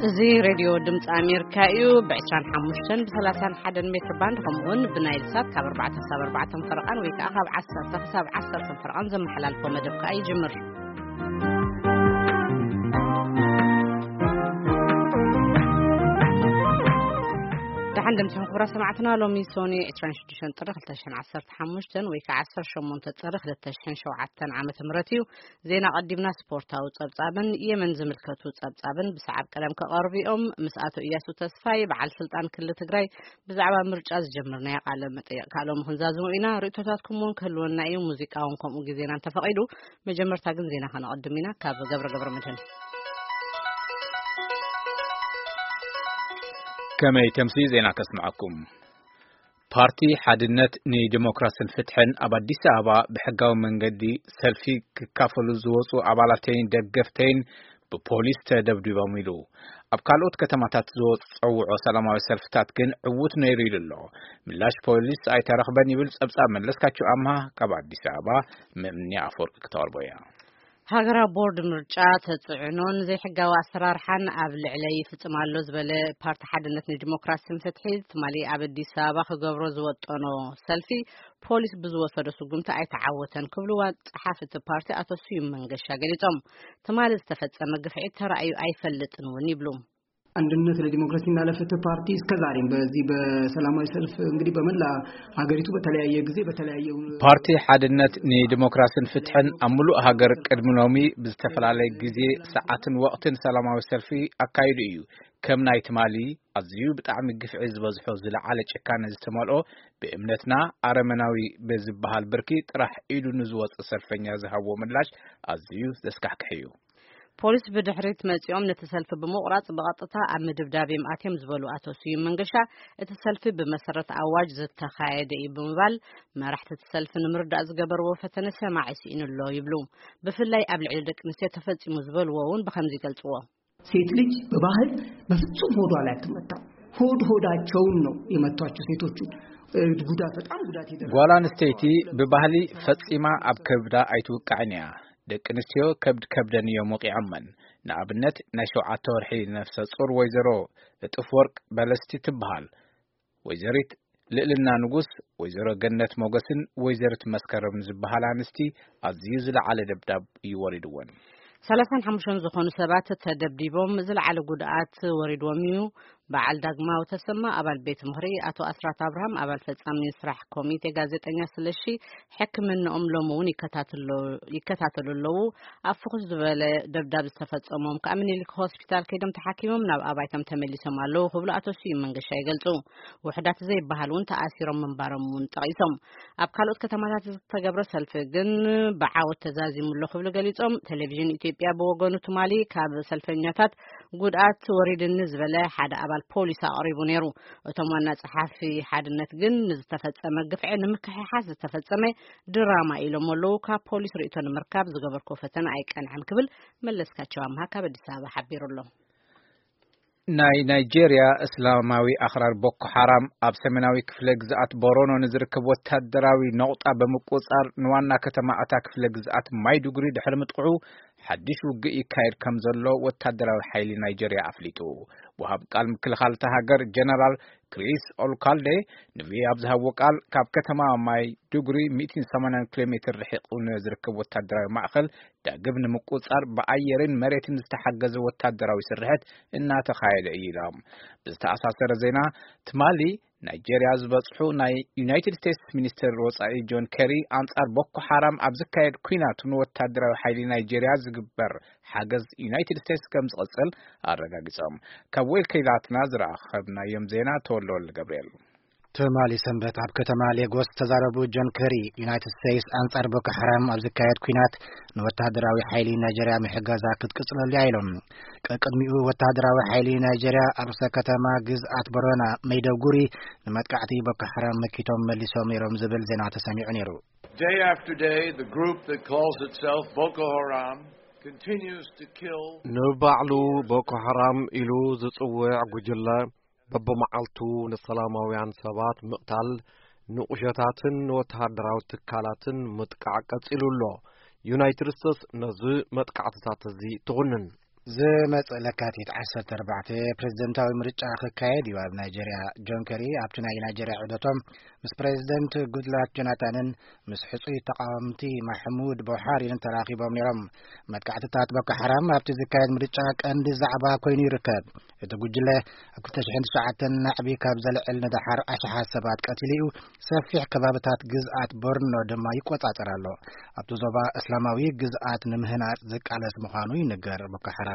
እዚ ሬድዮ ድምፂ ኣሜሪካ እዩ። ብ25 ብ31 ሜትር ባንድ፣ ከምኡውን ብናይል ሳት ካብ ኣርባዕተ ክሳብ ኣርባዕተ ፈረቓን ወይ ከዓ ካብ ዓሰርተ ክሳብ ዓሰርተ ፈረቓን ዘመሓላልፎ መደብ ከዓ ይጅምር። ደሓን ደምሲኹም ክቡራት ሰማዕትና። ሎሚ ሶኒ ዕስራን ሽዱሽተን ጥሪ ክልተ ሽሕን ዓሰርተ ሓሙሽተን ወይ ከዓ ዓሰርተ ሸሞንተ ጥሪ ክልተ ሽሕን ሸውዓተን ዓመተ ምህረት እዩ። ዜና ቀዲምና ስፖርታዊ ጸብጻብን የመን ዝምልከቱ ጸብጻብን ብሰዓብ ቀደም ክቐርቡ እዮም። ምስ ኣቶ እያሱ ተስፋይ፣ በዓል ስልጣን ክልል ትግራይ፣ ብዛዕባ ምርጫ ዝጀመርናዮ ቃለ መጠይቕ ካልኦም ክንዛዝሙ ኢና። ርእይቶታትኩም እውን ክህልወና እዩ። ሙዚቃ እውን ከምኡ ግዜና እንተፈቒዱ። መጀመርታ ግን ዜና ከነቐድም ኢና። ካብ ገብረ ገብረ መድህን። ከመይ ተምሲ ዜና ከስምዐኩም። ፓርቲ ሓድነት ንዲሞክራስን ፍትሕን ኣብ ኣዲስ ኣበባ ብሕጋዊ መንገዲ ሰልፊ ክካፈሉ ዝወፁ ኣባላተይን ደገፍተይን ብፖሊስ ተደብዲቦም ኢሉ። ኣብ ካልኦት ከተማታት ዝወፀውዖ ሰላማዊ ሰልፍታት ግን ዕዉት ነይሩ ኢሉ ኣሎ። ምላሽ ፖሊስ ኣይተረኽበን ይብል ጸብጻብ መለስካቸው ኣምሃ ካብ ኣዲስ ኣበባ። መምንያ ኣፈወርቂ ክተቕርቦ እያ። ሃገራዊ ቦርድ ምርጫ ተጽዕኖን ዘይሕጋዊ ኣሰራርሓን ኣብ ልዕለይ ይፍጽም ኣሎ ዝበለ ፓርቲ ሓድነት ንዲሞክራሲን ፍትሒ፣ ትማሊ ኣብ ኣዲስ ኣበባ ክገብሮ ዝወጠኖ ሰልፊ ፖሊስ ብዝወሰዶ ስጉምቲ ኣይተዓወተን ክብሉ ዋና ጸሓፊ እቲ ፓርቲ ኣቶ ስዩም መንገሻ ገሊጾም። ትማሊ ዝተፈጸመ ግፍዒ ተራእዩ ኣይፈልጥን እውን ይብሉ። አንድነት ለዲሞክራሲና ለፍትህ ፓርቲ እስከ ዛሬም በዚህ በሰላማዊ ሰልፍ እንግዲህ በመላ ሀገሪቱ በተለያየ ጊዜ በተለያየ ፓርቲ ሓድነት ንዲሞክራስን ፍትሕን ኣብ ምሉእ ሃገር ቅድሚ ሎሚ ብዝተፈላለየ ግዜ፣ ሰዓትን ወቕትን ሰላማዊ ሰልፊ ኣካይዱ እዩ። ከም ናይ ትማሊ ኣዝዩ ብጣዕሚ ግፍዒ ዝበዝሖ፣ ዝለዓለ ጭካነ ዝተመልኦ፣ ብእምነትና ኣረመናዊ ብዝበሃል ብርኪ ጥራሕ ኢዱ ንዝወፀ ሰልፈኛ ዝሃብዎ ምላሽ ኣዝዩ ዘስካሕክሕ እዩ። ፖሊስ ብድሕሪት መጺኦም ነቲ ሰልፊ ብምቑራጽ ብቐጥታ ኣብ ምድብዳብ እዮም ኣትዮም ዝበሉ ኣቶ ስዩም መንገሻ፣ እቲ ሰልፊ ብመሰረት ኣዋጅ ዝተኻየደ እዩ ብምባል፣ መራሕቲ እቲ ሰልፊ ንምርዳእ ዝገበርዎ ፈተነ ሰማዒ ስኢኑ ኣሎ ይብሉ። ብፍላይ ኣብ ልዕሊ ደቂ ኣንስትዮ ተፈጺሙ ዝበልዎ እውን ብኸምዚ ይገልጽዎ። ሴት ልጅ በባህል በፍጹም ሆዷ ላይ አትመታም። ሆድ ሆዳቸውን ነው የመቷቸው ሴቶቹ። እ፣ ጉዳት፣ በጣም ጉዳት ይደርሳል። ጓል ኣንስተይቲ ብባህሊ ፈጺማ ኣብ ከብዳ ኣይትውቃዕን እያ። ደቂ ኣንስትዮ ከብድ ከብደን እዮም ወቂዖመን። ንኣብነት፣ ናይ ሸውዓተ ወርሒ ነፍሰ ጹር ወይዘሮ እጥፍ ወርቅ በለስቲ ትበሃል። ወይዘሪት ልዕልና ንጉስ፣ ወይዘሮ ገነት ሞገስን ወይዘሪት መስከረም ዝበሃላ ኣንስቲ ኣዝዩ ዝለዓለ ደብዳብ እዩ ወሪድወን። ሰላሳን ሓሙሽተን ዝኾኑ ሰባት ተደብዲቦም ዝለዓለ ጉድኣት ወሪድዎም እዩ። በዓል ዳግማዊ ተሰማ፣ ኣባል ቤት ምኽሪ፣ ኣቶ ኣስራት ኣብርሃም፣ ኣባል ፈጻሚ ስራሕ ኮሚቴ፣ ጋዜጠኛ ስለሺ፣ ሕክምናኦም ሎሚ እውን ይከታተሎ-፣ ይከታተሉ ኣለዉ። ኣብ ፍኹስ ዝበለ ደብዳብ ዝተፈጸሞም ከኣ ምኒልክ ሆስፒታል ከይዶም ተሓኪሞም ናብ ኣባይቶም ተመሊሶም ኣለዉ ክብሉ ኣቶ ስዩም መንገሻ ይገልጹ። ውሑዳት ዘይበሃል እውን ተኣሲሮም ምንባሮም እውን ጠቒሶም። ኣብ ካልኦት ከተማታት ዝተገብረ ሰልፊ ግን ብዓወት ተዛዚሙ ኣሎ ክብሉ ገሊጾም። ቴሌቪዥን ኢትዮጵያ ብወገኑ ትማሊ ካብ ሰልፈኛታት ጉድኣት ወሪድኒ ዝበለ ሓደ ኣባል ፖሊስ ኣቕሪቡ ነይሩ። እቶም ዋና ጸሓፊ ሓድነት ግን ንዝተፈጸመ ግፍዒ ንምክሕሓስ ዝተፈጸመ ድራማ ኢሎም ኣለዉ። ካብ ፖሊስ ርእይቶ ንምርካብ ዝገበርኮ ፈተነ ኣይቀንዐን ክብል መለስካቸው ኣምሃ ካብ ኣዲስ ኣበባ ሓቢሩ ኣሎ። ናይ ናይጄርያ እስላማዊ ኣኽራር ቦኮ ሓራም ኣብ ሰሜናዊ ክፍለ ግዝኣት ቦሮኖ ንዝርከብ ወታደራዊ ነቑጣ ብምቁጻር ንዋና ከተማ እታ ክፍለ ግዝኣት ማይዱጉሪ ድሕሪ ምጥቕዑ ሓድሽ ውግእ ይካየድ ከም ዘሎ ወታደራዊ ሓይሊ ናይጄርያ ኣፍሊጡ። ወሃብ ቃል ምክልኻል እታ ሃገር ጀነራል ክሪስ ኦልካልዴ ንቪኦኤ ኣብ ዝሃብዎ ቃል፣ ካብ ከተማ ማይዱጉሪ ሚእትን ሰማንያን ኪሎ ሜትር ርሒቑ ንዝርከብ ወታደራዊ ማእኸል ዳግም ንምቁጽጻር ብኣየርን መሬትን ዝተሓገዘ ወታደራዊ ስርሕት እናተኻየደ እዩ ኢሎም። ብዝተኣሳሰረ ዜና፣ ትማሊ ናይጄርያ ዝበጽሑ ናይ ዩናይትድ ስቴትስ ሚኒስትር ወጻኢ ጆን ኬሪ፣ ኣንጻር ቦኮ ሓራም ኣብ ዝካየድ ኲናት ንወታደራዊ ሓይሊ ናይጄርያ ዝግበር ሓገዝ ዩናይትድ ስቴትስ ከም ዝቕጽል ኣረጋጊጾም። ካብ ወኪላትና ዝረኸብናዮም ዜና ተወልደ ወልደ ገብርኤል። ትማሊ ሰንበት ኣብ ከተማ ሌጎስ ዝተዛረቡ ጆን ኬሪ፣ ዩናይትድ ስቴትስ ኣንጻር ቦኮ ሓራም ኣብ ዝካየድ ኲናት ንወታደራዊ ሓይሊ ናይጀርያ ምሕጋዛ ክትቅጽለሉ እያ ኢሎም። ቀቅድሚኡ ወታደራዊ ሓይሊ ናይጀርያ ኣብ ርእሰ ከተማ ግዝኣት ቦረና መይደጉሪ ንመጥቃዕቲ ቦኮ ሓራም መኪቶም መሊሶም ነይሮም ዝብል ዜና ተሰሚዑ ነይሩ። Day after day, the group that calls itself Boko Haram continues to kill. ንባዕሉ ቦኮ ሓራም ኢሉ ዝጽውዕ ጉጅለ በብመዓልቱ ንሰላማውያን ሰባት ምቕታል፣ ንቑሸታትን ንወተሃደራዊ ትካላትን ምጥቃዕ ቀጺሉ ኣሎ። ዩናይትድ ስቴትስ ነዚ መጥቃዕትታት እዚ ትኹንን። ዝመጽእ ለካቲት ዓሰርተ ኣርባዕተ ፕሬዝደንታዊ ምርጫ ክካየድ እዩ ኣብ ናይጀርያ። ጆን ከሪ ኣብቲ ናይ ናይጀርያ ዑደቶም ምስ ፕሬዝደንት ጉድላክ ጆናታንን ምስ ሕጹይ ተቃወምቲ ማሕሙድ ቦሓሪን ተራኺቦም ነይሮም። መጥቃዕትታት ቦኮ ሓራም ኣብቲ ዝካየድ ምርጫ ቀንዲ ዛዕባ ኮይኑ ይርከብ። እቲ ጉጅለ ኣብ ክልተ ሽሕን ትሽዓተን ናዕቢ ካብ ዘልዕል ንደሓር ኣሽሓት ሰባት ቀቲሉ እዩ። ሰፊሕ ከባብታት ግዝኣት ቦርኖ ድማ ይቆጻጸር ኣሎ። ኣብቲ ዞባ እስላማዊ ግዝኣት ንምህናጽ ዝቃለስ ምዃኑ ይንገር ቦኮ ሓራም።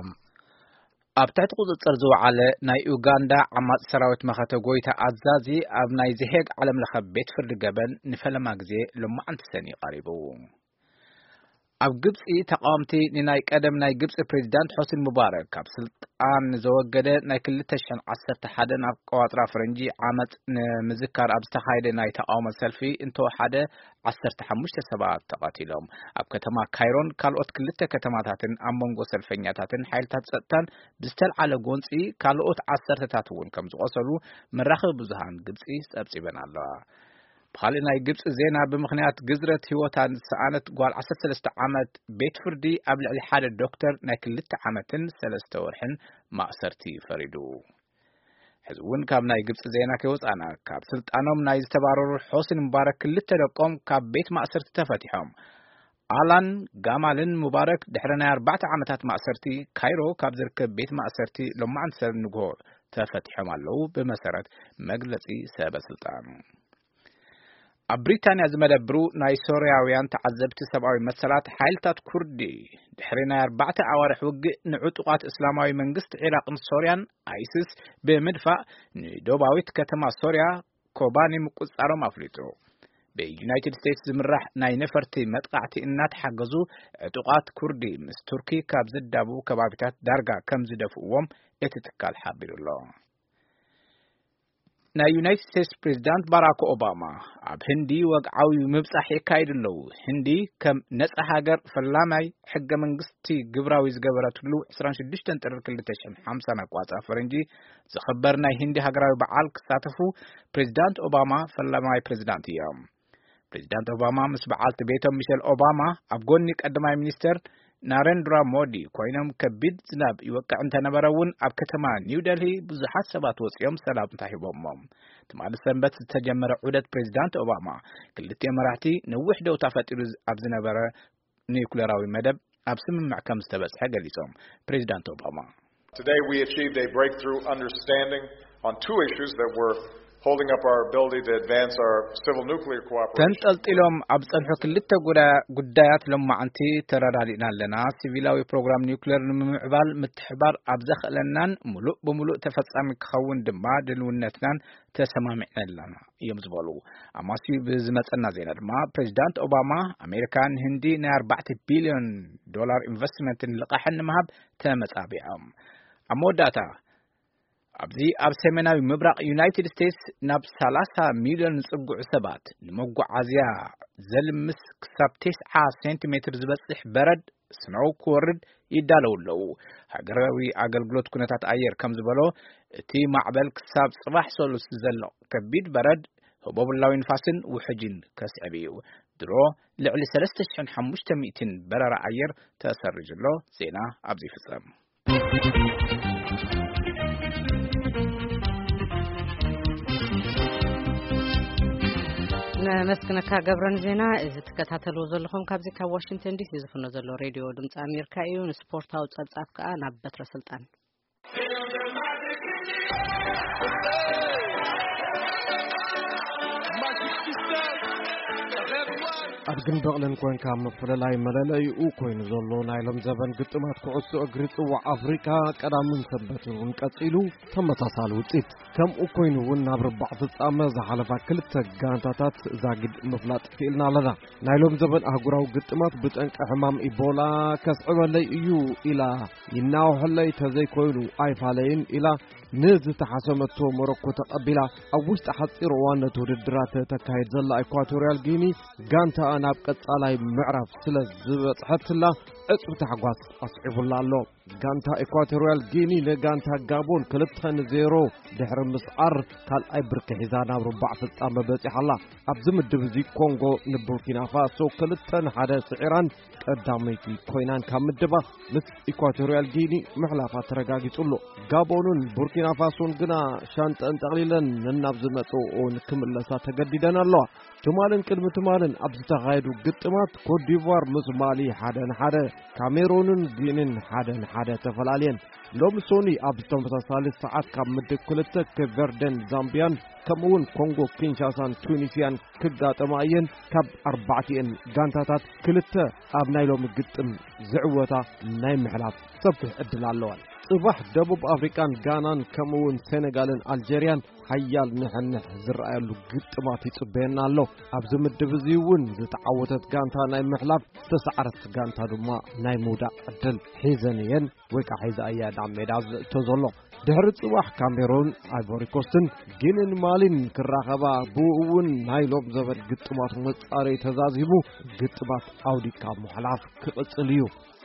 ኣብ ትሕቲ ቁጽጽር ዝወዓለ ናይ ኡጋንዳ ዓማጺ ሰራዊት መኸተ ጎይታ ኣዛዚ ኣብ ናይ ዘሄግ ዓለም ለኸ ቤት ፍርዲ ገበን ንፈለማ ግዜ ሎማዓንቲ ሰኒ ቀሪቡ። ኣብ ግብጺ ተቃወምቲ ንናይ ቀደም ናይ ግብጺ ፕሬዚዳንት ሖስኒ ሙባረክ ካብ ስልጣን ዘወገደ ናይ ክልተ ሽሕን ዓሰርተ ሓደን ኣቆጻጽራ ፈረንጂ ዓመጽ ንምዝካር ኣብ ዝተኻየደ ናይ ተቃውሞ ሰልፊ እንተወሓደ ዓሰርተ ሓሙሽተ ሰባት ተቐቲሎም። ኣብ ከተማ ካይሮን ካልኦት ክልተ ከተማታትን ኣብ መንጎ ሰልፈኛታትን ሓይልታት ጸጥታን ብዝተልዓለ ጎንጺ ካልኦት ዓሰርተታት እውን ከም ዝቆሰሉ መራኸቢ ብዙሃን ግብጺ ጸብጺበን ኣለዋ። ብኻልእ ናይ ግብጺ ዜና፣ ብምኽንያት ግዝረት ህይወታ ዝሰኣነት ጓል ዓሰርተ ሰለስተ ዓመት ቤት ፍርዲ ኣብ ልዕሊ ሓደ ዶክተር ናይ ክልተ ዓመትን ሰለስተ ወርሕን ማእሰርቲ ፈሪዱ። ሕዚ እውን ካብ ናይ ግብጺ ዜና ከይወጻና፣ ካብ ስልጣኖም ናይ ዝተባረሩ ሖስኒ ሙባረክ ክልተ ደቆም ካብ ቤት ማእሰርቲ ተፈቲሖም። ኣላን ጋማልን ሙባረክ ድሕሪ ናይ ኣርባዕተ ዓመታት ማእሰርቲ ካይሮ ካብ ዝርከብ ቤት ማእሰርቲ ሎማዓንቲ ሰብ ንግሆ ተፈቲሖም ኣለዉ፣ ብመሰረት መግለጺ ሰበ ስልጣን። ኣብ ብሪታንያ ዝመደብሩ ናይ ሶርያውያን ተዓዘብቲ ሰብኣዊ መሰላት፣ ሓይልታት ኩርዲ ድሕሪ ናይ ኣርባዕተ ኣዋርሕ ውግእ ንዕጡቓት እስላማዊ መንግስቲ ዒራቕን ሶርያን፣ ኣይስስ፣ ብምድፋእ ንደቡባዊት ከተማ ሶርያ ኮባኒ ምቁጽጻሮም ኣፍሊጡ። ብዩናይትድ ስቴትስ ዝምራሕ ናይ ነፈርቲ መጥቃዕቲ እናተሓገዙ ዕጡቓት ኩርዲ ምስ ቱርኪ ካብ ዝዳቡ ከባቢታት ዳርጋ ከም ዝደፍእዎም እቲ ትካል ሓቢሩ ኣሎ። ናይ ዩናይትድ ስቴትስ ፕሬዚዳንት ባራክ ኦባማ ኣብ ህንዲ ወግዓዊ ምብጻሕ የካይዱ ኣለዉ። ህንዲ ከም ነጻ ሃገር ፈላማይ ሕገ መንግስቲ ግብራዊ ዝገበረትሉ ዕስራን ሽዱሽተን ጥሪ ክልተ ሽሕን ሓምሳን ኣቋጻ ፈረንጂ ዝኽበር ናይ ህንዲ ሃገራዊ በዓል ክሳተፉ ፕሬዚዳንት ኦባማ ፈላማይ ፕሬዚዳንት እዮም። ፕሬዚዳንት ኦባማ ምስ በዓልቲ ቤቶም ሚሸል ኦባማ ኣብ ጎኒ ቀዳማይ ሚኒስተር ናረንድራ ሞዲ ኮይኖም፣ ከቢድ ዝናብ ይወቅዕ እንተነበረ እውን ኣብ ከተማ ኒው ደልሂ ብዙሓት ሰባት ወፂኦም ሰላምታ ሂቦሞም። ትማሊ ሰንበት ዝተጀመረ ዑደት ፕሬዚዳንት ኦባማ ክልቲኦም መራሕቲ ነዊሕ ደውታ ፈጢሩ ኣብ ዝነበረ ኒውክሌራዊ መደብ ኣብ ስምምዕ ከም ዝተበፅሐ ገሊፆም። ፕሬዚዳንት ኦባማ Today we achieved a breakthrough understanding on two issues that were holding up our ability to advance our civil nuclear cooperation. ተንጠልጢሎም ኣብ ጸንሑ ክልተ ጉዳ-፣ ጉዳያት ሎማዓንቲ ተረዳዲእና ኣለና። ሲቪላዊ ፕሮግራም ኒውክሌር ንምምዕባል ምትሕባር ኣብ ዘኽእለናን ሙሉእ ብሙሉእ ተፈጻሚ ክኸውን ድማ ድልውነትናን ተሰማሚዕና ኣለና እዮም ዝበሉ። ኣማስዩ ብዝመጸና ዜና ድማ ፕሬዚዳንት ኦባማ ኣሜሪካ ንህንዲ ናይ ኣርባዕተ ቢልዮን ዶላር ኢንቨስትመንትን ልቓሕን ንምሃብ ተመጻቢዖም። ኣብ መወዳእታ ኣብዚ ኣብ ሰሜናዊ ምብራቕ ዩናይትድ ስቴትስ ናብ ሰላሳ ሚልዮን ዝጽግዑ ሰባት ንመጓዓዝያ ዘልምስ ክሳብ ተስዓ ሴንቲሜትር ዝበጽሕ በረድ፣ ስኖው፣ ክወርድ ይዳለዉ ኣለዉ። ሃገራዊ ኣገልግሎት ኩነታት ኣየር ከም ዝበሎ፣ እቲ ማዕበል ክሳብ ጽባሕ ሰሉስ ዘሎ ከቢድ በረድ፣ ህቦብላዊ ንፋስን ውሕጅን ከስዕብ እዩ። ድሮ ልዕሊ ሰለስተ ሽሕን ሓሙሽተ ሚእትን በረራ ኣየር ተሰሪዙ ኣሎ። ዜና ኣብዚ ይፍጸም። ነመስግነካ ገብረን ዜና። እዚ ትከታተልዎ ዘለኹም ካብዚ ካብ ዋሽንግተን ዲሲ ዝፍኖ ዘሎ ሬድዮ ድምፂ ኣሜሪካ እዩ። ንስፖርታዊ ፀብፃብ ከዓ ናብ በትረ ስልጣን። ኣብ ግን በቕልን ኮንካ ምፍልላይ መለለይኡ ኮይኑ ዘሎ ናይ ሎም ዘበን ግጥማት ኩዕሶ እግሪ ጽዋዕ ኣፍሪቃ ቀዳምን ሰንበትን እውን ቀጺሉ ተመሳሳሊ ውጽኢት። ከምኡ ኮይኑ እውን ናብ ርባዕ ፍጻመ ዝሓለፋ ክልተ ጋንታታት ዛጊድ ምፍላጥ ክኢልና ኣለና። ናይ ሎም ዘበን ኣህጉራዊ ግጥማት ብጠንቂ ሕማም ኢቦላ ከስዕበለይ እዩ ኢላ ይናውሐለይ ተዘይኮይኑ ኣይፋለይን ኢላ ንዝተሓሰመቶ ሞሮኮ ተቐቢላ ኣብ ውሽጢ ሓፂር እዋን ነቲ ውድድራት ተካይድ ዘላ ኢኳቶርያል ጊኒ ጋንታኣ ናብ ቀጻላይ ምዕራፍ ስለ ዝበጽሐትላ ዕጽው ታሕጓስ ኣስዒቡላ ኣሎ። ጋንታ ኢኳቶርያል ጊኒ ንጋንታ ጋቦን ክልተ ንዜሮ ድሕሪ ምስዓር ካልኣይ ብርኪ ሒዛ ናብ ርባዕ ፍጻመ በጺሓ ኣላ። ኣብዚ ምድብ እዚ ኮንጎ ንቡርኪና ፋሶ ክልተ ንሓደ ስዒራን ቀዳመይቲ ኮይናን ካብ ምድባ ምስ ኢኳቶርያል ጊኒ ምሕላፋ ተረጋጊጹ ኣሎ። ጋቦንን ቡርኪና ፋሶን ግና ሻንጠን ጠቕሊለን ነናብ ዝመጽእኦን ክምለሳ ተገዲደን ኣለዋ። ትማልን ቅድሚ ትማልን ኣብ ዝተኻየዱ ግጥማት ኮትዲቯር ምስ ማሊ ሓደ ንሓደ፣ ካሜሮንን ጊኒን ሓደ ንሓደ ተፈላልየን። ሎሚ ሶኒ ኣብ ተመሳሳሊ ሰዓት ካብ ምድብ ክልተ ኬፕ ቨርደን ዛምቢያን ከምኡውን ኮንጎ ኪንሻሳን ቱኒስያን ክጋጠማ እየን። ካብ ኣርባዕቲኤን ጋንታታት ክልተ ኣብ ናይ ሎሚ ግጥም ዝዕወታ ናይ ምሕላፍ ሰፊሕ ዕድል ኣለዋን። ጽባሕ ደቡብ ኣፍሪቃን ጋናን ከምኡውን ሴኔጋልን ኣልጀርያን ሓያል ንሕንሕ ዝረኣየሉ ግጥማት ይጽበየና ኣሎ። ኣብዚ ምድብ እዚ እውን ዝተዓወተት ጋንታ ናይ ምሕላፍ፣ ዝተሰዓረት ጋንታ ድማ ናይ ምውዳቕ ዕድል ሒዘን እየን ወይ ከዓ ሒዛ እያ ናብ ሜዳ ዝእቶ ዘሎ። ድሕሪ ጽባሕ ካሜሮን፣ ኣይቮሪኮስትን ጊንን ማሊን ክራኸባ፣ ብኡ እውን ናይ ሎም ዘበን ግጥማት መጻረይ ተዛዚሙ ግጥማት ኣውዲካ ምሕላፍ ክቕጽል እዩ።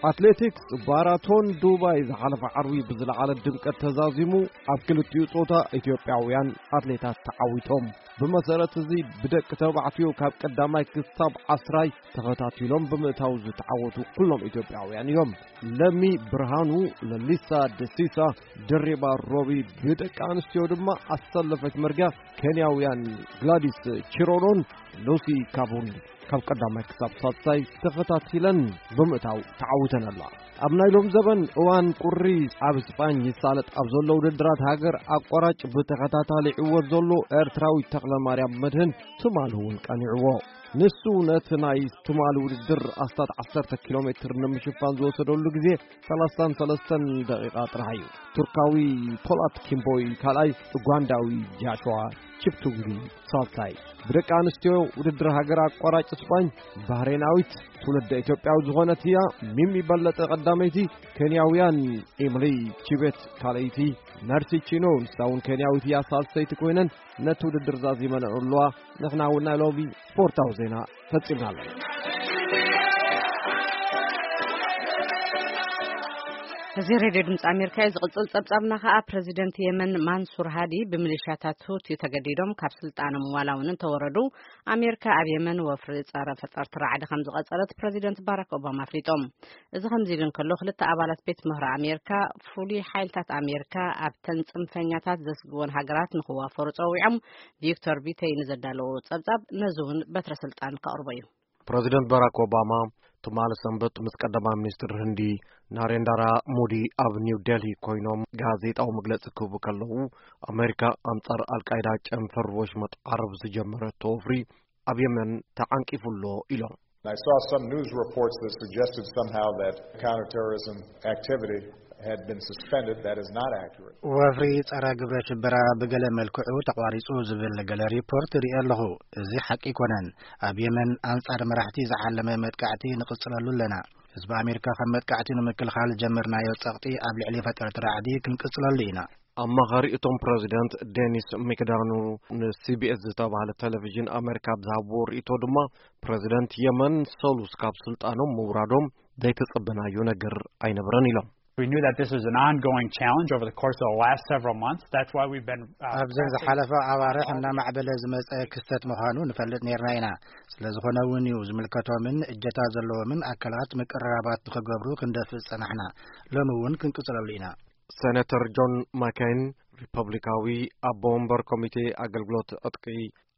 ኣትሌቲክስ ማራቶን ዱባይ ዝሓለፈ ዓርቢ ብዝለዓለ ድምቀት ተዛዚሙ፣ ኣብ ክልቲኡ ጾታ ኢትዮጵያውያን ኣትሌታት ተዓዊቶም። ብመሰረት እዚ ብደቂ ተባዕትዮ ካብ ቀዳማይ ክሳብ ዓስራይ ተኸታቲሎም ብምእታው ዝተዓወቱ ኩሎም ኢትዮጵያውያን እዮም። ለሚ ብርሃኑ፣ ለሊሳ ደሲሳ፣ ድሪባ ሮቢ፣ ብደቂ ኣንስትዮ ድማ ኣሰለፈች መርጊያ፣ ኬንያውያን ግላዲስ ቺሮኖን ሉሲ ካቡን ካብ ቀዳማይ ክሳብ ሳልሳይ ተኸታቲለን ብምእታው ተዓዊተን ኣለዋ። ኣብ ናይ ሎም ዘበን እዋን ቁሪ ኣብ ስጳኝ ይሳለጥ ኣብ ዘሎ ውድድራት ሃገር ኣቋራጭ ብተኸታታሊ ይዕወት ዘሎ ኤርትራዊ ተኽለ ማርያም መድህን ትማሊ እውን ቀኒዕዎ። ንሱ ነቲ ናይ ትማሊ ውድድር ኣስታት ዓሰርተ ኪሎ ሜትር ንምሽፋን ዝወሰደሉ ግዜ ሰላሳን ሰለስተን ደቂቓ ጥራሕ እዩ። ቱርካዊ ፖላት ኪምቦይ ካልኣይ፣ ኡጋንዳዊ ጃሽዋ ቺፕቱንጊ ሳልሳይ። ብደቂ ኣንስትዮ ውድድር ሃገር ኣቋራጭ ስጳኝ፣ ባህሬናዊት ትውልደ ኢትዮጵያዊ ዝኾነት እያ። ሚሚ በለጠ ቀዳመይቲ፣ ኬንያውያን ኤምሊ ቺቤት ካልኣይቲ፣ መርሲ ቺኖ ንሳ እውን ኬንያዊት እያ ሳልሰይቲ ኮይነን ነቲ ውድድር ዛዚመን ኣለዋ። ንሕና እውን ናይ ሎሚ ስፖርታዊ ዜና ፈጺምና ኣለና። እዚ ሬድዮ ድምፂ ኣሜሪካ እዩ። ዝቕጽል ጸብጻብና ከኣ ፕረዚደንት የመን ማንሱር ሃዲ ብሚሊሻታት ሁቲ ተገዲዶም ካብ ስልጣኖም ዋላ እውን እንተወረዱ፣ ኣሜሪካ ኣብ የመን ወፍሪ ጸረ ፈጠርቲ ራዕዲ ከም ዝቐጸለት ፕረዚደንት ባራክ ኦባማ ኣፍሊጦም። እዚ ከምዚ ኢሉ እንከሎ፣ ክልተ ኣባላት ቤት ምህሮ ኣሜሪካ፣ ፍሉይ ሓይልታት ኣሜሪካ ኣብተን ጽንፈኛታት ዘስግወን ሃገራት ንኽዋፈሩ ጸዊዖም። ቪክቶር ቢተይ ንዘዳለዎ ጸብጻብ ነዚ እውን በትረ ስልጣን ከቕርቦ እዩ። ፕረዚደንት ባራክ ኦባማ ትማሊ ሰንበት ምስ ቀዳማይ ሚኒስትር ህንዲ ናሬንዳራ ሞዲ ኣብ ኒው ዴልሂ ኮይኖም ጋዜጣዊ መግለጺ ክህቡ ከለዉ፣ ኣሜሪካ ኣንጻር ኣልቃይዳ ጨንፈር ወሽመጥ ዓረብ ዝጀመረቶ ወፍሪ ኣብ የመን ተዓንቂፉ ኣሎ ኢሎም። I saw some news reports that suggested somehow that counterterrorism activity had been suspended. That is not accurate. ወፍሪ ጸረ ግብረ ሽበራ ብገለ መልክዑ ተቋሪጹ ዝብል ገለ ሪፖርት ርኢ ኣለኹ። እዚ ሓቂ ኣይኮነን። ኣብ የመን ኣንጻር መራሕቲ ዝዓለመ መጥቃዕቲ ንቕጽለሉ ኣለና። ህዝቢ ኣሜሪካ ካብ መጥቃዕቲ ንምክልኻል ዝጀመርናዮ ጸቕጢ ኣብ ልዕሊ ፈጠርቲ ራዕዲ ክንቅጽለሉ ኢና። ኣማኻሪ እቶም ፕረዚደንት ዴኒስ ሚክዳኑ ንሲቢኤስ ዝተባህለ ቴሌቪዥን ኣሜሪካ ኣብ ዝሃብዎ ርእይቶ ድማ፣ ፕረዚደንት የመን ሰሉስ ካብ ስልጣኖም ምውራዶም ዘይተጸበናዮ ነገር ኣይነበረን ኢሎም። We knew that this was an ongoing challenge over the course of the last several months. That's why we've been, uh, ኣብዘን ዝሓለፈ ኣዋርሕ እናማዕበለ ዝመጸ ክስተት ምዃኑ ንፈልጥ ነርና ኢና። ስለ ዝኾነ እውን እዩ ዝምልከቶምን እጀታ ዘለዎምን ኣካላት ምቅርራባት ንኽገብሩ ክንደፍእ ዝጸናሕና። ሎሚ እውን ክንቅጽለሉ ኢና። ሴኔተር ጆን ማኬን፣ ሪፐብሊካዊ ኣቦ ወንበር ኮሚቴ ኣገልግሎት ዕጥቂ፣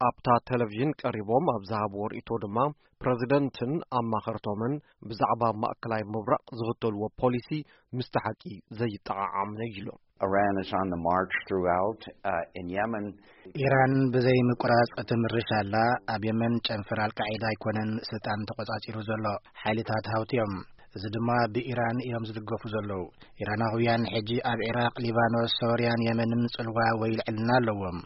ኣብታ ቴሌቪዥን ቀሪቦም ኣብ ዝሃብዎ ርእይቶ ድማ፣ ፕረዚደንትን ኣማኸርቶምን ብዛዕባ ማእከላይ ምብራቕ ዝኽተልዎ ፖሊሲ ምስቲ ሓቂ ዘይጠዓዓም ነይሉ። Iran is on the march throughout, uh, in Yemen. ኢራን ብዘይ ምቁራጽ ትምርሽ ኣላ። ኣብ የመን ጨንፈር ኣልቃዒዳ ኣይኮነን ስልጣን ተቆጻጺሩ ዘሎ፣ ሓይልታት ሃውቲ እዮም። እዚ ድማ ብኢራን እዮም ዝድገፉ ዘለዉ። ኢራናውያን ሕጂ ኣብ ዒራቕ፣ ሊባኖስ፣ ሶርያን የመንን ጽልዋ ወይ ልዕልና ኣለዎም።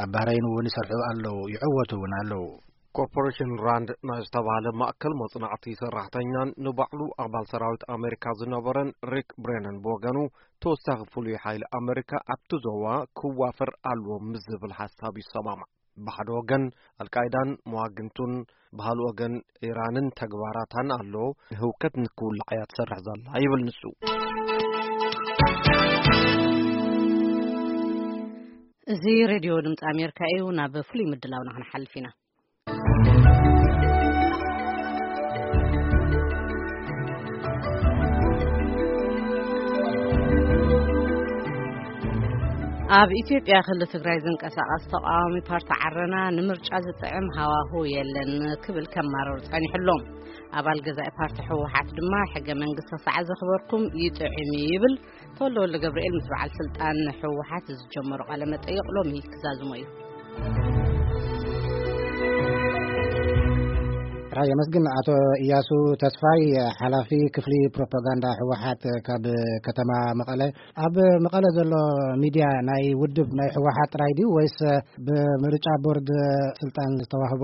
ኣብ ባህረይን እውን ይሰርሑ ኣለዉ፣ ይዕወቱ እውን ኣለዉ። ኮርፖሬሽን ራንድ ናይ ዝተባህለ ማእከል መጽናዕቲ ሰራሕተኛን ንባዕሉ ኣባል ሰራዊት ኣሜሪካ ዝነበረን ሪክ ብሬነን ብወገኑ፣ ተወሳኺ ፍሉይ ሓይሊ ኣሜሪካ ኣብቲ ዞባ ክዋፈር ኣለዎ ምስ ዝብል ሓሳብ ይሰማማዕ። ብሓደ ወገን ኣልቃይዳን መዋግንቱን፣ ብኻልእ ወገን ኢራንን ተግባራታን ኣሎ፣ ህውከት ንክውላዕ እያ ትሰርሕ ዘላ ይብል ንሱ። እዚ ሬድዮ ድምፂ ኣሜሪካ እዩ። ናብ ፍሉይ ምድላውና ክንሓልፍ ኢና። ኣብ ኢትዮጵያ ክልል ትግራይ ዝንቀሳቐስ ተቃዋሚ ፓርቲ ዓረና ንምርጫ ዝጥዕም ሃዋሁ የለን ክብል ከማርር ጸኒሑ ኣሎ። ኣባል ገዛኢ ፓርቲ ህወሓት ድማ ሕገ መንግስቲ ሰዓ ዘኽበርኩም ይጥዕም ይብል። ተወልደ ወልደ ገብርኤል ምስ በዓል ስልጣን ህወሓት ዝጀመሮ ቃለ መጠይቕ ሎሚ ክዛዝሞ እዩ። ራይ የመስግን። ኣቶ እያሱ ተስፋይ፣ ሓላፊ ክፍሊ ፕሮፓጋንዳ ህወሓት ካብ ከተማ መቐለ። ኣብ መቐለ ዘሎ ሚድያ ናይ ውድብ ናይ ህወሓት ጥራይ ድዩ ወይስ ብምርጫ ቦርድ ስልጣን ዝተዋህቦ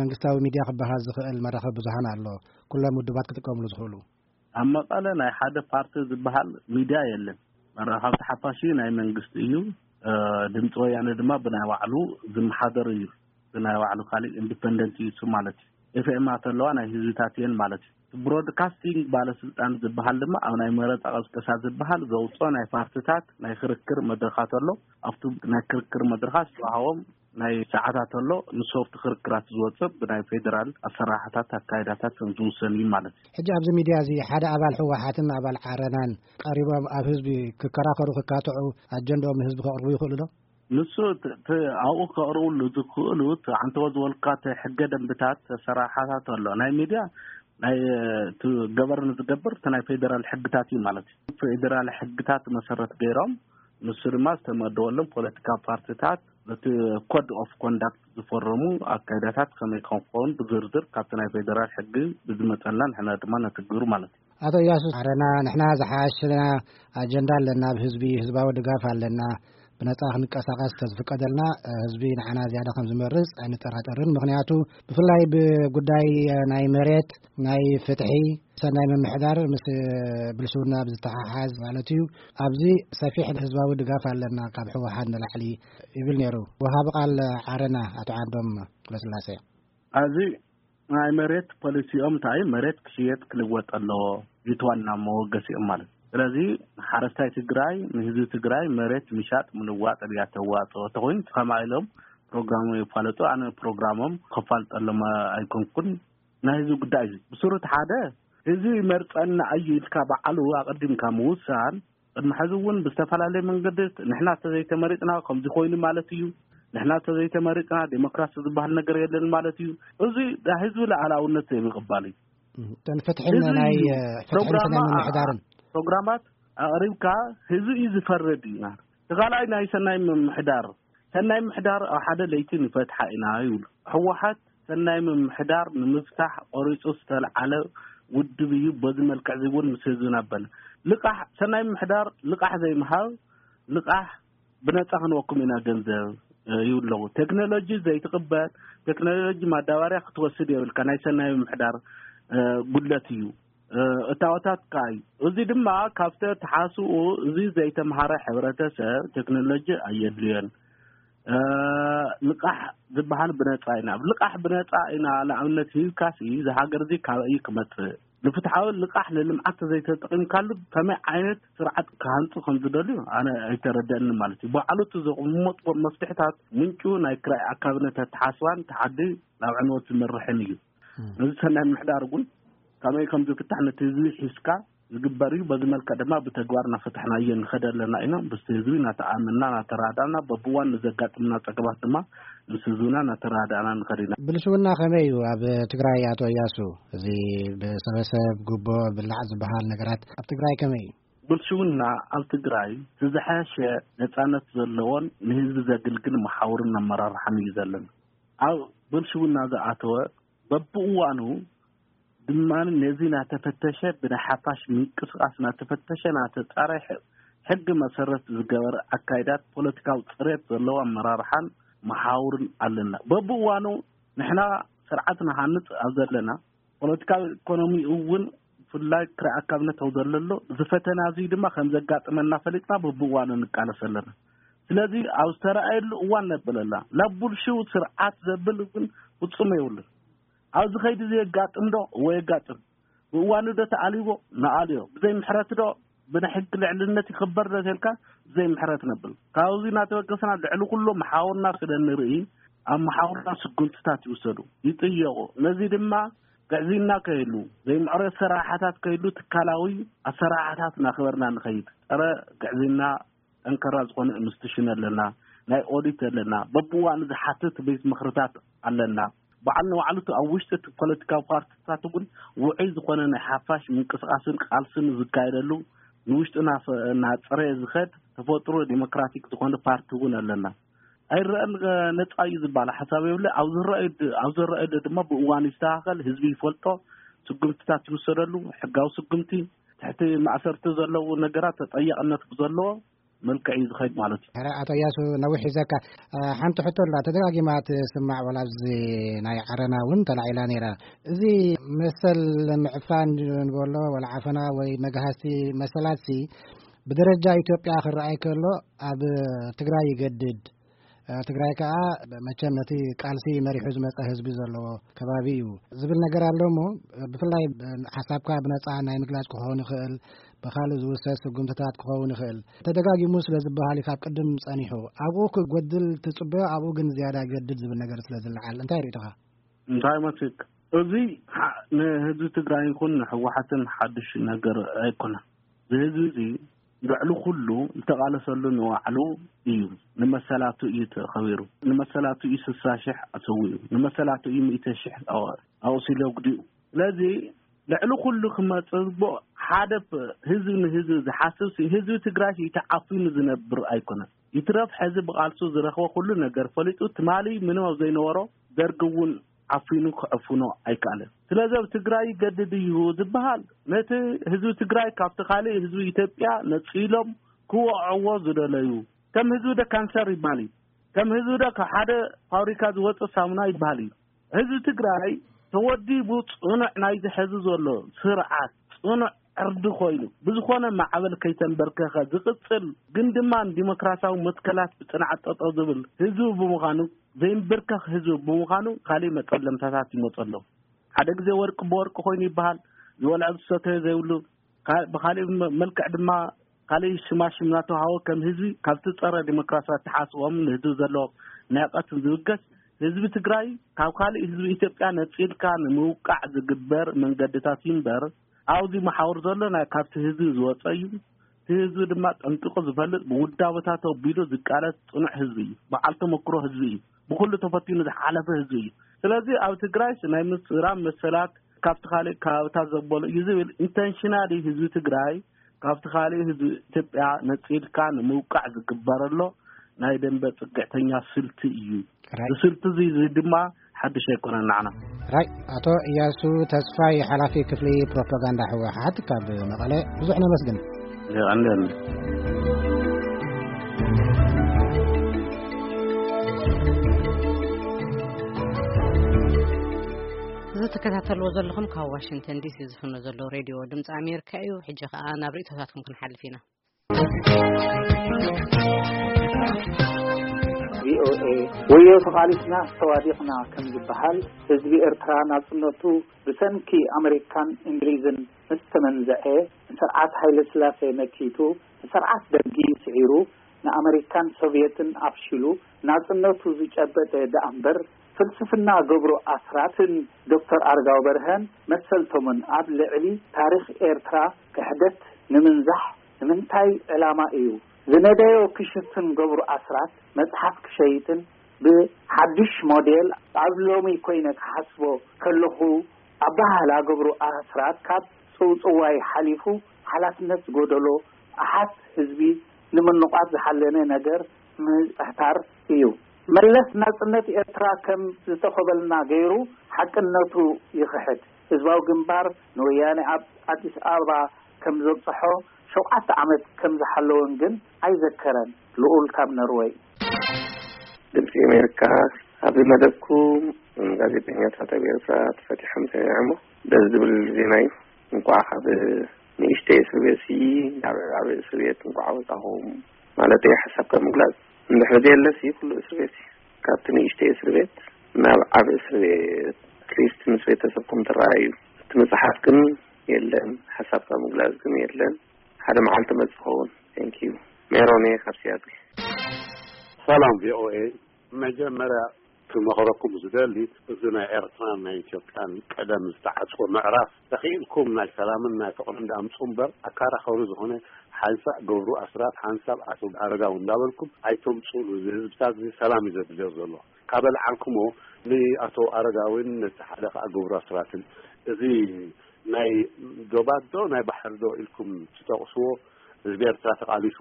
መንግስታዊ ሚድያ ክበሃል ዝኽእል መራኸቢ ብዙሃን ኣሎ? ኩሎም ውድባት ክጥቀምሉ ዝኽእሉ? ኣብ መቐለ ናይ ሓደ ፓርቲ ዝበሃል ሚድያ የለን። መራኸብቲ ሓፋሽ ናይ መንግስቲ እዩ። እ፣ ድምፂ ወያነ ድማ ብናይ ባዕሉ ዝመሓደር እዩ። ብናይ ባዕሉ ካሊእ ኢንዲፐንደንት እዩ እሱ ማለት እዩ። ኤፍኤም ኣለዋ፣ ናይ ህዝብታት እየን ማለት እዩ። ብሮድካስቲንግ ባለስልጣን ዝበሃል ድማ ኣብ ናይ መረፃ ቀስቀሳ ዝበሃል ዘውፅኦ ናይ ፓርቲታት ናይ ክርክር መድረኻት ኣሎ። ኣብቲ ናይ ክርክር መድረኻት ዝተዋሃቦም ናይ ሰዓታት ኣሎ። ንሶፍት ክርክራት ዝወፅእ ብናይ ፌዴራል ኣሰራርሓታት ኣካይዳታት ከም ዝውሰን እዩ ማለት እዩ። ሕጂ ኣብዚ ሚድያ እዚ ሓደ ኣባል ህወሓትን ኣባል ዓረናን ቀሪቦም ኣብ ህዝቢ ክከራኸሩ፣ ክካትዑ፣ ኣጀንዳኦም ንህዝቢ ከቕርቡ ይኽእሉ ዶ? ንሱ ት-፣ ት-፣ ኣብኡ ከቕርብሉ ዝኽእሉ እቲ ዓንተቦ ዝበልካ እቲ ሕገ ደንብታት ኣሰራርሓታት ኣሎ። ናይ ሚድያ ናይ፣ እቲ ገበርን ዝገብር እቲ ናይ ፌዴራል ሕግታት እዩ ማለት እዩ። ፌዴራል ሕግታት መሰረት ገይሮም ንሱ ድማ ዝተመደበሎም ፖለቲካ ፓርቲታት ነቲ ኮድ ኦፍ ኮንዳክት ዝፈረሙ ኣካይዳታት ከመይ ከም ክኸውን ብዝርዝር ካብቲ ናይ ፌዴራል ሕጊ ብዝመፀና ንሕና ድማ ነትግብሩ ማለት እዩ። ኣቶ እያሱ፣ ዓረና ንሕና ዝሓሸና ኣጀንዳ ኣለና፣ ኣብ ህዝቢ ህዝባዊ ድጋፍ ኣለና፣ ብነጻ ክንቀሳቐስ ተዝፍቀደልና ህዝቢ ንዓና ዝያዳ ከም ዝመርጽ ኣይንጠራጠርን። ምኽንያቱ ብፍላይ ብጉዳይ ናይ መሬት፣ ናይ ፍትሒ፣ ሰናይ ምምሕዳር ምስ ብልሽውና ብዝተሓሓዝ ማለት እዩ። ኣብዚ ሰፊሕ ህዝባዊ ድጋፍ ኣለና ካብ ህወሓት ንላዕሊ ይብል ነይሩ ወሃቢ ቃል ዓረና ኣቶ ዓንዶም ገብረስላሴ። ኣብዚ ናይ መሬት ፖሊሲኦም እንታይ እዩ? መሬት ክሽየጥ ክልወጥ ኣለዎ። እቲ ዋና መወገሲኦም ማለት እዩ። ስለዚ ሓረስታይ ትግራይ፣ ንህዝቢ ትግራይ መሬት ምሻጥ ምልዋጥ ድያ ተዋፅኦ? ተኮይኑ ከምኣ ኢሎም ፕሮግራሞም የፋለጡ። ኣነ ፕሮግራሞም ከፋልጠሎም ኣይኮንኩን። ናይ ህዝቢ ጉዳይ እዩ። ብስሩ እቲ ሓደ ህዝቢ ይመርፀና እዩ ኢልካ በዓሉ ኣቐዲምካ ምውሳን፣ ቅድሚ ሕዚ እውን ብዝተፈላለየ መንገዲ ንሕና ተዘይተመሪፅና ከምዚ ኮይኑ ማለት እዩ፣ ንሕና ተዘይተመሪፅና ዴሞክራሲ ዝበሃል ነገር የለን ማለት እዩ። እዚ ናይ ህዝቢ ሉዓላውነት ዘይምቕባል እዩ። እተን ፍትሕን ህዝቢ ናይ እዩ። ፍትሕን ፕሮግራማ-፣ ሰናይ ምምሕዳርን። ፕሮግራማት ኣቕሪብካ ህዝቢ እዩ ዝፈርድ እዩ። እቲ ካልኣይ ናይ ሰናይ ምምሕዳር፣ ሰናይ ምምሕዳር ኣብ ሓደ ለይቲ ንፈትሓ ኢና ይብሉ። ህወሓት ሰናይ ምምሕዳር ንምፍታሕ ቆሪፁ ዝተልዓለ ውድብ እዩ። በዚ መልክዕ እዚ እውን ምስ ህዝብና በለ። ልቃሕ፣ ሰናይ ምምሕዳር ልቃሕ ዘይምሃብ፣ ልቃሕ ብነፃ ክንወኩም ኢና ገንዘብ፣ እ፣ ይብሉ ኣለዉ። ቴክኖሎጂ ዘይትቕበል፣ ቴክኖሎጂ ማዳበርያ ክትወስድ የብልካ፣ ናይ ሰናይ ምምሕዳር፣ እ፣ ጉድለት እዩ። እ፣ እታወታት ከኣ እዩ። እዚ ድማ ካብቲ ተሓስኡ እዚ ዘይተምሃረ ሕብረተሰብ ቴክኖሎጂ ኣየድልዮን። እ፣ ልቃሕ ዝበሃል ብነፃ ኢና። ልቃሕ ብነፃ ኢና ንኣብነት ሂብካሲ፣ እዚ ሃገር እዚ ካበይ እዩ ክመፅእ? ንፍትሓዊ ልቃሕ ንልምዓት ተዘይተጠቒምካሉ ከመይ ዓይነት ስርዓት ክሃንፁ ከም ዝደልዩ ኣነ ኣይተረደአኒ ማለት እዩ። ባዕሉ እቲ ዘቕመጥዎ መፍትሕታት ምንጩ ናይ ክራይ ኣካብነት ኣተሓስባን እቲ ዓዲ ናብ ዕንወት ዝመርሕን እዩ። እም። ነዚ ሰናይ ምሕዳር እውን ከመይ ከም ዝፍታሕ ነቲ ህዝቢ ሒዝካ ዝግበር እዩ። በዚ መልክዕ ድማ ብተግባር እናፈታሕናዮ ንኸደ ኣለና ኢና። ምስቲ ህዝቢ እናተኣመንና፣ እናተረዳእና፣ በብዋን ንዘጋጥምና ጸገማት ድማ ምስ ህዝብና እናተረዳእና ንኸድ ኢና። ብልሽውና ከመይ እዩ ኣብ ትግራይ ኣቶ እያሱ? እዚ ብሰበሰብ ጉቦ ብላዕ ዝበሃል ነገራት ኣብ ትግራይ ከመይ እዩ? ብልሽውና ኣብ ትግራይ እቲ ዝሓሸ ነጻነት ዘለዎን ንህዝቢ ዘግልግል መሓውርን ኣመራርሓን እዩ ዘለና። ኣብ ብልሽውና ዝኣተወ በብእዋኑ ድማ ነዚ እናተፈተሸ ብናይ ሓፋሽ ምንቅስቃስ እናተፈተሸ እናተጻረ ሕ-፣ ሕጊ መሰረት ዝገበረ ኣካይዳት ፖለቲካዊ ጽሬት ዘለዎ ኣመራርሓን መሓውርን ኣለና። በብእዋኑ ንሕና ስርዓት ንሃንጽ ኣብ ዘለና ፖለቲካዊ ኢኮኖሚ እውን ብፍላይ ክራይ ኣካብነት ኣብ ዘለሎ እዚ ፈተና እዚ ድማ ከም ዘጋጥመና ፈሊጥና በብእዋኑ ንቃለስ ኣለና። ስለዚ ኣብ ዝተረኣየሉ እዋን ነብል ኣላ። ናብ ብልሽው ስርዓት ዘብል ግን ፍጹም የብሉን። ኣብዚ ከይዲ እዚ የጋጥም ዶ? እወ የጋጥም። ብእዋኑ ዶ ተኣልይዎ? ንኣልዮ። ብዘይ ምሕረት ዶ? ብናይ ሕጊ ልዕልነት ይኽበር ዶ ተልካ? ብዘይ ምሕረት ነብል። ካብዚ እናተበገስና ልዕሊ ኩሉ መሓውርና ስለ ንርኢ ኣብ መሓውርና ስጉምትታት ይውሰዱ፣ ይጥየቑ። ነዚ ድማ ግዕዝይና ከይህሉ፣ ዘይምዕሩይ ኣሰራርሓታት ከይህሉ ትካላዊ ኣሰራርሓታት እናኽበርና ንኸይድ። ጸረ ግዕዝይና ጠንከራ ዝኾነ ኢንስቲትዩሽን ኣለና፣ ናይ ኦዲት ኣለና፣ በብዋኑ ዝሓትት ቤት ምኽርታት ኣለና። በዓል ንባዕሉ እቲ ኣብ ውሽጢ እቲ ፖለቲካዊ ፓርቲታት እውን ውዑይ ዝኾነ ናይ ሓፋሽ ምንቅስቃስን ቃልስን ዝካየደሉ፣ ንውሽጡ እናፈ-፣ እናፀረየ ዝኸድ ተፈጥሮ ዲሞክራቲክ ዝኾነ ፓርቲ እውን ኣለና። ኣይረአን፣ ነፃ እዩ ዝበሃል ሓሳብ የብለ። ኣብ ዝረአዩ ድ-፣ ኣብ ዝረአዩ ድማ ብእዋኑ ይስተኻኸል፣ ህዝቢ ይፈልጦ፣ ስጉምትታት ይውሰደሉ፣ ሕጋዊ ስጉምቲ፣ ትሕቲ ማእሰርቲ ዘለዉ ነገራት ተጠያቕነት ብዘለዎ መልክዕ እዩ ዝኸይድ ማለት እዩ። ሕረ ኣቶ እያሱ ነዊሕ ሒዘካ። እ፣ ሓንቲ ሕቶ ኣላ፣ ተደጋጊማ ትስማዕ፣ ዋላ ኣብዚ ናይ ዓረና እውን ተላዒላ ነይራ። እዚ መሰል ምዕፋን ንበሎ፣ ዋላ ዓፈና ወይ መግሃስቲ መሰላትሲ ብደረጃ ኢትዮጵያ ክረኣይ ከሎ ኣብ ትግራይ ይገድድ። እ፣ ትግራይ ከኣ መቸም ነቲ ቃልሲ መሪሑ ዝመጸ ህዝቢ ዘለዎ ከባቢ እዩ ዝብል ነገር ኣሎ እሞ፣ ብፍላይ ሓሳብካ ብነጻ ናይ ምግላጽ ክኸውን ይኽእል፣ ብኻልእ ዝውሰድ ስጉምትታት ክኸውን ይኽእል። ተደጋጊሙ ስለ ዝበሃል እዩ ካብ ቅድም ጸኒሑ። ኣብኡ ክጎድል ትጽበዮ፣ ኣብኡ ግን ዝያዳ ይገድድ ዝብል ነገር ስለ ዝለዓል። እንታይ ርእይቶኻ? እንታይ መስልክ? እዚ ሓ-፣ ንህዝቢ ትግራይ ይኹን ንህወሓትን ሓድሽ ነገር ኣይኮነን። እዚ ህዝቢ እዚ ልዕሊ ኩሉ ዝተቓለሰሉ ንባዕሉ እዩ። ንመሰላቱ እዩ ተኸቢሩ። ንመሰላቱ እዩ ስሳ ሽሕ ኣሰዊኡ። ንመሰላቱ እዩ ሚእቲ ሽሕ ኣወ-፣ ኣቑሲሉ ኣጉዲኡ። ስለዚ ልዕሊ ኩሉ ክመጽእ ዝግብኦ ሓደ ፕ-፣ ህዝቢ ንህዝቢ ዝሓስብ ሲ-፣ ህዝቢ ትግራይ ሲ ተዓፊኑ ዝነብር ኣይኮነን። ይትረፍ ሕዚ ብቓልሱ ዝረኽቦ ኩሉ ነገር ፈሊጡ ትማሊ ምንም ኣብ ዘይነበሮ ደርጊ እውን ዓፊኑ ክዕፍኖ ኣይከኣለን። ስለዚ ኣብ ትግራይ ይገድድ እዩ ዝበሃል ነቲ ህዝቢ ትግራይ ካብቲ ካልእ ህዝቢ ኢትዮጵያ ነጺሎም ክወቕዕዎ ዝደለዩ፣ ከም ህዝቢ ዶ ካንሰር ይበሃል እዩ። ከም ህዝቢ ዶ ካብ ሓደ ፋብሪካ ዝወጽእ ሳሙና ይበሃል እዩ። ህዝቢ ትግራይ ተወዲቡ ጽኑዕ ናይዚ ሕዚ ዘሎ ስርዓት ጽኑዕ ዕርዲ ኮይኑ ብዝኾነ ማዕበል ከይተንበርከኸ ዝቕጽል ግን ድማ ንዲሞክራሲያዊ መትከላት ብጽንዓት ጠጠው ዝብል ህዝቢ ብምዃኑ ዘይንብርከኽ ህዝቢ ብምዃኑ ካልእ መጠለምታታት ይመጸሎም። ሓደ ግዜ ወርቂ ብወርቂ ኮይኑ ይበሃል፣ ዝበልዖ ዝሰተዮ ዘይብሉ፣ ካ-፣ ብኻልእ መ-፣ መልክዕ ድማ ካልእ ሽማሽም እናተውሃቦ ከም ህዝቢ ካብቲ ጸረ ዲሞክራሲ ኣተሓስቦም ንህዝቢ ዘለዎም ንዕቀትን ዝብገስ ህዝቢ ትግራይ ካብ ካልእ ህዝቢ ኢትዮጵያ ነጺልካ ንምውቃዕ ዝግበር መንገድታት እዩ እምበር ኣብዚ መሓውር ዘሎ ናይ ካብቲ ህዝቢ ዝወጸ እዩ። እቲ ህዝቢ ድማ ጠንቂቑ ዝፈልጥ ብውዳበታት ኣቢሉ ዝቃለስ ጽኑዕ ህዝቢ እዩ። በዓል ተመክሮ ህዝቢ እዩ። ብኹሉ ተፈቲኑ ዝሓለፈ ህዝቢ እዩ። ስለዚ ኣብ ትግራይ ናይ ምስራም መሰላት ካብቲ ካልእ ከባብታት ዘበሉ እዩ ዝብል ኢንተንሽናሊ ህዝቢ ትግራይ ካብቲ ካልእ ህዝቢ ኢትዮጵያ ነጺልካ ንምውቃዕ ዝግበረሎ ናይ ደንበ ጽግዕተኛ ስልቲ እዩ። ራይ። እዚ ስልቲ እዚ፣ እዚ ድማ ሓድሽ ኣይኮነን ንዓና። ራይ። ኣቶ እያሱ ተስፋይ ሓላፊ ክፍሊ ፕሮፓጋንዳ ህወሓት ካብ መቐለ ብዙሕ ነመስግን። የቐንየልና። እዚ ትከታተልዎ ዘለኹም ካብ ዋሽንግተን ዲሲ ዝፍኖ ዘሎ ሬድዮ ድምፂ ኣሜሪካ እዩ። ሕጂ ከኣ ናብ ርእይቶታትኩም ክንሓልፍ ኢና። ቪኦኤ፣ ወዮ ተቓሊስና ተዋዲቕና ከም ዝበሃል፣ ህዝቢ ኤርትራ ናጽነቱ ብሰንኪ ኣመሪካን እንግሊዝን ምስ ተመንዘዐ፣ ንስርዓት ሃይለ ስላሴ መኪቱ፣ ንስርዓት ደርጊ ስዒሩ፣ ንኣመሪካን ሶቭየትን ኣፍሺሉ፣ ናጽነቱ ዝጨበጠ ደኣ እምበር፣ ፍልስፍና ገብሩ ኣስራትን ዶክተር ኣረጋዊ በርሀን መሰልቶምን ኣብ ልዕሊ ታሪኽ ኤርትራ ክሕደት ንምንዛሕ ንምንታይ ዕላማ እዩ ዝነደዮ ክሽፍን? ገብሩ ኣስራት መጽሓፍ ክሸይጥን ብሓድሽ ሞዴል ኣብ ሎሚ ኮይነ ክሓስቦ ከለኹ፣ ኣበሃህላ ገብሩ ኣስራት ካብ ጽውጽዋይ ሓሊፉ ሓላፍነት ዝጎደሎ ኣሓት ህዝቢ ንምንቋት ዝሓለነ ነገር ምጽሕታር እዩ። መለስ ናጽነት ኤርትራ ከም ዝተኸበልና ገይሩ ሓቅነቱ ይኽሕድ። ህዝባዊ ግንባር ንወያነ ኣብ ኣዲስ ኣበባ ከም ዘብጽሖ፣ ሸውዓተ ዓመት ከም ዝሓለወን ግን ኣይዘከረን። ልኡል ካብ ነርወይ። ድምፂ ኣሜሪካ፣ ኣብዚ መደብኩም ጋዜጠኛታት ኣብ ኤርትራ ተፈቲሖም ሰሚዐ እሞ ደስ ዝብል ዜና እዩ። እንኳዕ ካብ ንእሽተይ እስር ቤት ሲ ናብ ዓብዪ እስር ቤት እንኳዕ ኣውፃኹም ማለት እየ። ሓሳብካ ምግላፅ እንድሕር ዘየለሲ ኩሉ እስር ቤት እዩ። ካብቲ ንእሽተይ እስር ቤት ናብ ዓብዪ እስር ቤት ኣትሊስት ምስ ቤተሰብኩም ትረኣዩ። እቲ መፅሓፍ ግን የለን፣ ሓሳብካ ምግላፅ ግን የለን። ሓደ መዓልቲ መፅእ ኸውን። ቴንክ ዩ። ሜሮን እየ ካብ ሲያትል። ሰላም ቪኦኤ፣ መጀመርያ ክመኸረኩም ዝደሊ፣ እዚ ናይ ኤርትራን ናይ ኢትዮጵያን ቀደም ዝተዓጽወ ምዕራፍ ተኽኢልኩም ናይ ሰላምን ናይ ፍቕርን ዳምጹ እምበር፣ ኣካራኸሩ ዝኾነ ሓንሳእ ገብሩ ኣስራት ሓንሳብ ኣቶ ኣረጋዊ እንዳበልኩም ኣይተምጹሉ። እዚ ህዝብታት እዚ ሰላም እዩ ዘድልዮ ዘሎ። ካበልዓልኩሞ ንኣቶ ኣረጋዊን ነቲ ሓደ ከኣ ገብሩ ኣስራትን፣ እዚ ናይ ዶባት ዶ ናይ ባሕሪ ዶ ኢልኩም ትጠቕስዎ፣ ህዝቢ ኤርትራ ተቓሊሱ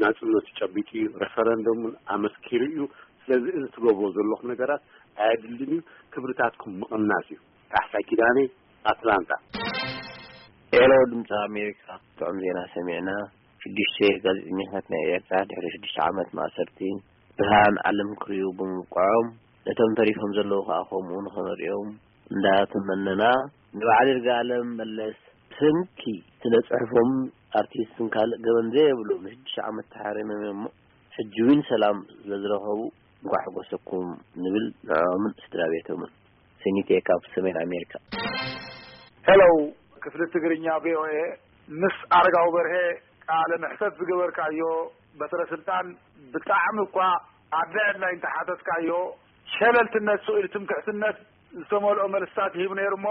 ናጽነቱ ጨቢጡ እዩ፣ ሬፈረንደም ኣመስኪሩ እዩ። ስለዚ እዚ ትገብሮ ዘለኹም ነገራት ኣየድልን እዩ፣ ክብርታትኩም ምቕናስ እዩ። ካሕሳይ ኪዳነ፣ ኣትላንታ። ሄሎ፣ ድምፂ ኣሜሪካ። ጥዑም ዜና ሰሚዕና። ሽዱሽተ ጋዜጠኛታት ናይ ኤርትራ ድሕሪ ሽዱሽተ ዓመት ማእሰርቲ ብርሃን ዓለም ክርእዩ ብምብቅዖም፣ ነቶም ተሪፎም ዘለዉ ከኣ ከምኡ ንኸመርእዮም እንዳተመነና፣ ንበዓል ይርጋለም መለስ ብሰንኪ ስነ ጽሑፎም ኣርቲስትን ካልእ ገበን ዘየብሎም ንሽዱሽተ ዓመት ተሓሪሞም እዮም እሞ፣ ሕጂ እውን ሰላም ስለ ዝረኸቡ እንኳዕ ሓጎሰኩም ንብል፣ ንዕኦምን ስድራ ቤቶምን። ሰኒቴ ካብ ሰሜን ኣሜሪካ። ሄሎ፣ ክፍሊ ትግርኛ ቪ ኦ ኤ፣ ምስ ኣረጋዊ በርሄ ቃለ መሕተት ዝገበርካዮ በትረ ስልጣን ብጣዕሚ እኳ ኣድላይ ኣድላይ እንተሓተትካዮ፣ ሸለልትነት ስቕ ኢሉ ትምክሕትነት ዝተመልኦ መልስታት ይህብ ነይሩ እሞ፣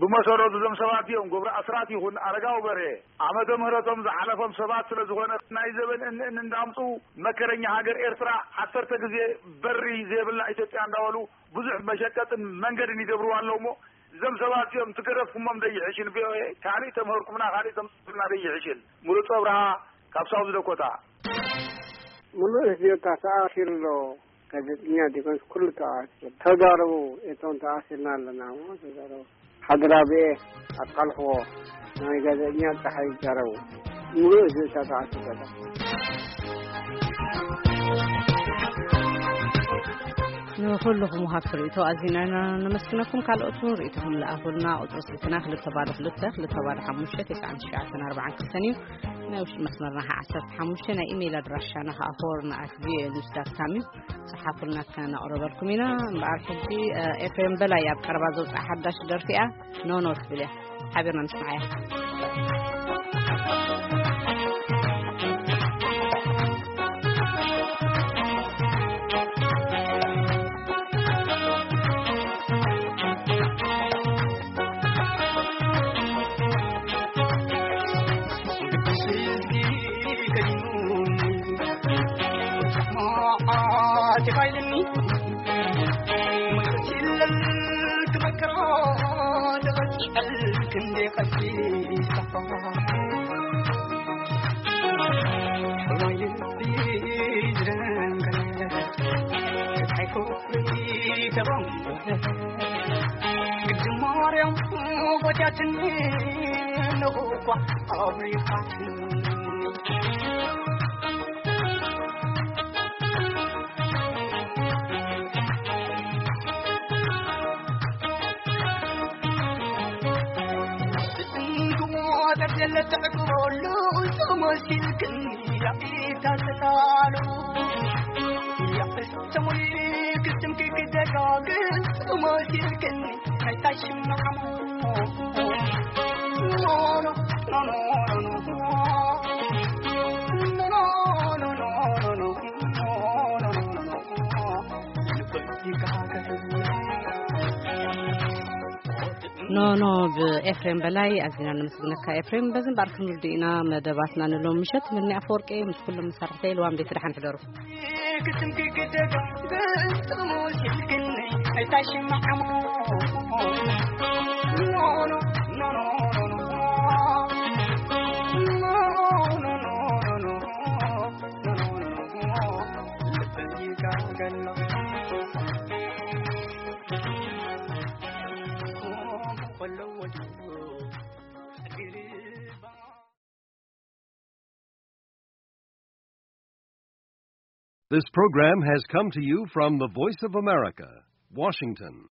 ብመሰረቱ እዞም ሰባት እዮም ገብረ ኣስራት ይኹን ኣረጋዊ በርሄ ዓመተ ምህረቶም ዝሓለፎም ሰባት ስለ ዝኾነ፣ ናይ ዘበን እን እን እንዳምፁ መከረኛ ሃገር ኤርትራ ዓሰርተ ግዜ በሪ ዘይብላ ኢትዮጵያ እንዳበሉ ብዙሕ መሸቀጥን መንገድን ይገብርዋ ኣለዉ እሞ፣ እዞም ሰባት እዚኦም ትገረፍኩሞም ደይሕሽን፣ ቪ ኦ ኤ ካሊእ ተምህርኩምና፣ ካሊእ ተምፅእና ደይሕሽን። ምሩፅ ኣብርሃ ካብ ሳውዝ ደኮታ። ምሉእ ህዝቢ ኤርትራ ተኣሲሩ ኣሎ። ጋዜጠኛ ዲኮንስ ኩሉ ተኣሲሩ። ተዛረቡ፣ እቶም ተኣሲርና ኣለና እሞ ተዛረቡ። ሓድራብኤ ኣቃልሕዎ፣ ናይ ጋዜጠኛ ጸሓይ ይዛረቡ። ምሉእ ህዝቢ ኤርትራ ተኣሲሩ ኣሎ። ንኹልኹም ወሃብቲ ርእይቶ ኣዚና ኢና ነመስግነኩም። ካልኦት እውን ርእይቶኹም ለኣኹልና። ቁጽሪ ስልክና ክልተ ባዶ ክልተ፣ ክልተ ባዶ ሓሙሽተ፣ ተስዓን ትሽዓተን ኣርባዓን ክልተን እዩ። ናይ ውሽጢ መስመርና ኸዓ ዓሰርተ ሓሙሽተ፣ ናይ ኢሜይል ኣድራሻና ኸዓ ሆርን ኣት ቪ ኦ ኤ ኒውስ ዳት ካም እዩ። ጸሓፉልና፣ ከነቕርበልኩም ኢና። እምበኣር ሕጂ፣ እ፣ ኤፍሬም በላይ ኣብ ቀረባ ዘውጽኣ ሓዳሽ ደርፊ እያ፣ ኖኖ ትብል እያ። ሓቢርና ንስምዓያ። ኖኖ ብኤፍሬም በላይ ኣዚና ነመስግነካ ኤፍሬም። በዚ እምበኣር ክንውድእ ኢና መደባትና ንሎም ምሸት። ምኒ ኣፈወርቂ ምስ ኩሎም መሳርሕተይ ልዋም ቤት ደሓን ሕደሩ። This program has come to you from the Voice of America, Washington.